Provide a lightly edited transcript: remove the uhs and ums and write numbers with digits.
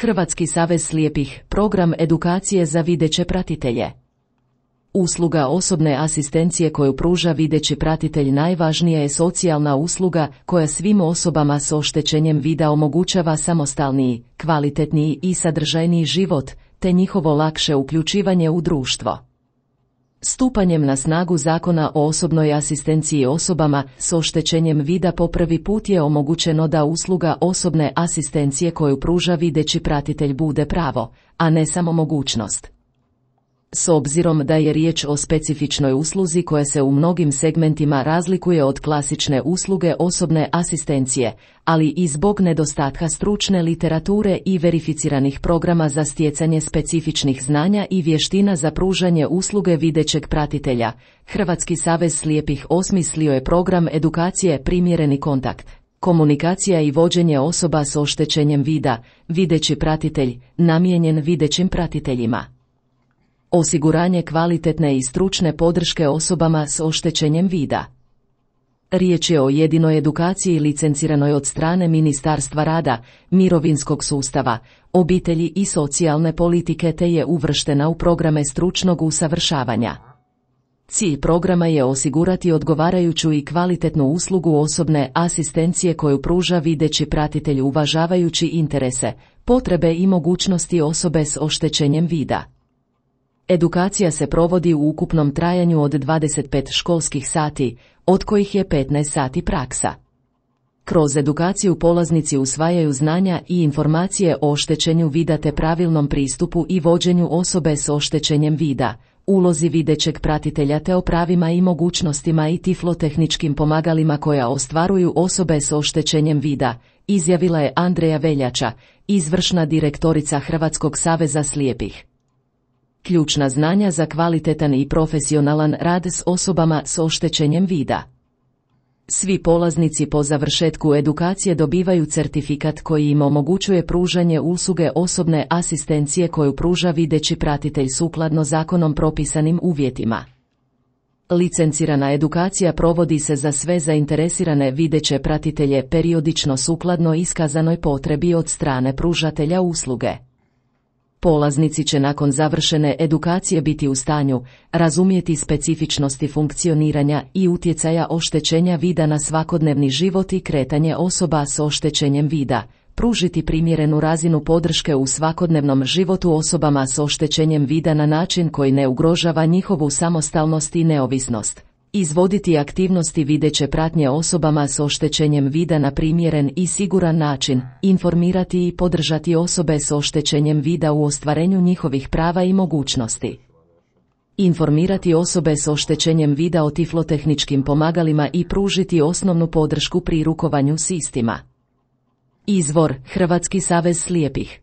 Hrvatski savez slijepih, program edukacije za videće pratitelje. Usluga osobne asistencije koju pruža videći pratitelj najvažnija je socijalna usluga koja svim osobama s oštećenjem vida omogućava samostalniji, kvalitetniji i sadržajniji život, te njihovo lakše uključivanje u društvo. Stupanjem na snagu Zakona o osobnoj asistenciji osobama s oštećenjem vida po prvi put je omogućeno da usluga osobne asistencije koju pruža videći pratitelj bude pravo, a ne samo mogućnost. S obzirom da je riječ o specifičnoj usluzi koja se u mnogim segmentima razlikuje od klasične usluge osobne asistencije, ali i zbog nedostatka stručne literature i verificiranih programa za stjecanje specifičnih znanja i vještina za pružanje usluge videćeg pratitelja, Hrvatski savez slijepih osmislio je program edukacije Primjereni kontakt. Komunikacija i vođenje osoba s oštećenjem vida, videći pratitelj, namijenjen videćim pratiteljima. Osiguranje kvalitetne i stručne podrške osobama s oštećenjem vida. Riječ je o jedinoj edukaciji licenciranoj od strane Ministarstva rada, mirovinskog sustava, obitelji i socijalne politike te je uvrštena u programe stručnog usavršavanja. Cilj programa je osigurati odgovarajuću i kvalitetnu uslugu osobne asistencije koju pruža videći pratitelj uvažavajući interese, potrebe i mogućnosti osobe s oštećenjem vida. Edukacija se provodi u ukupnom trajanju od 25 školskih sati, od kojih je 15 sati praksa. Kroz edukaciju polaznici usvajaju znanja i informacije o oštećenju vida te pravilnom pristupu i vođenju osobe s oštećenjem vida, ulozi videćeg pratitelja te o pravima i mogućnostima i tiflotehničkim pomagalima koja ostvaruju osobe s oštećenjem vida, izjavila je Andreja Veljača, izvršna direktorica Hrvatskog saveza slijepih. Ključna znanja za kvalitetan i profesionalan rad s osobama s oštećenjem vida. Svi polaznici po završetku edukacije dobivaju certifikat koji im omogućuje pružanje usluge osobne asistencije koju pruža videći pratitelj sukladno zakonom propisanim uvjetima. Licencirana edukacija provodi se za sve zainteresirane videće pratitelje periodično sukladno iskazanoj potrebi od strane pružatelja usluge. Polaznici će nakon završene edukacije biti u stanju razumjeti specifičnosti funkcioniranja i utjecaja oštećenja vida na svakodnevni život i kretanje osoba s oštećenjem vida, pružiti primjerenu razinu podrške u svakodnevnom životu osobama s oštećenjem vida na način koji ne ugrožava njihovu samostalnost i neovisnost. Izvoditi aktivnosti videće pratnje osobama s oštećenjem vida na primjeren i siguran način, informirati i podržati osobe s oštećenjem vida u ostvarenju njihovih prava i mogućnosti. Informirati osobe s oštećenjem vida o tiflotehničkim pomagalima i pružiti osnovnu podršku pri rukovanju s istima. Izvor: Hrvatski savez slijepih.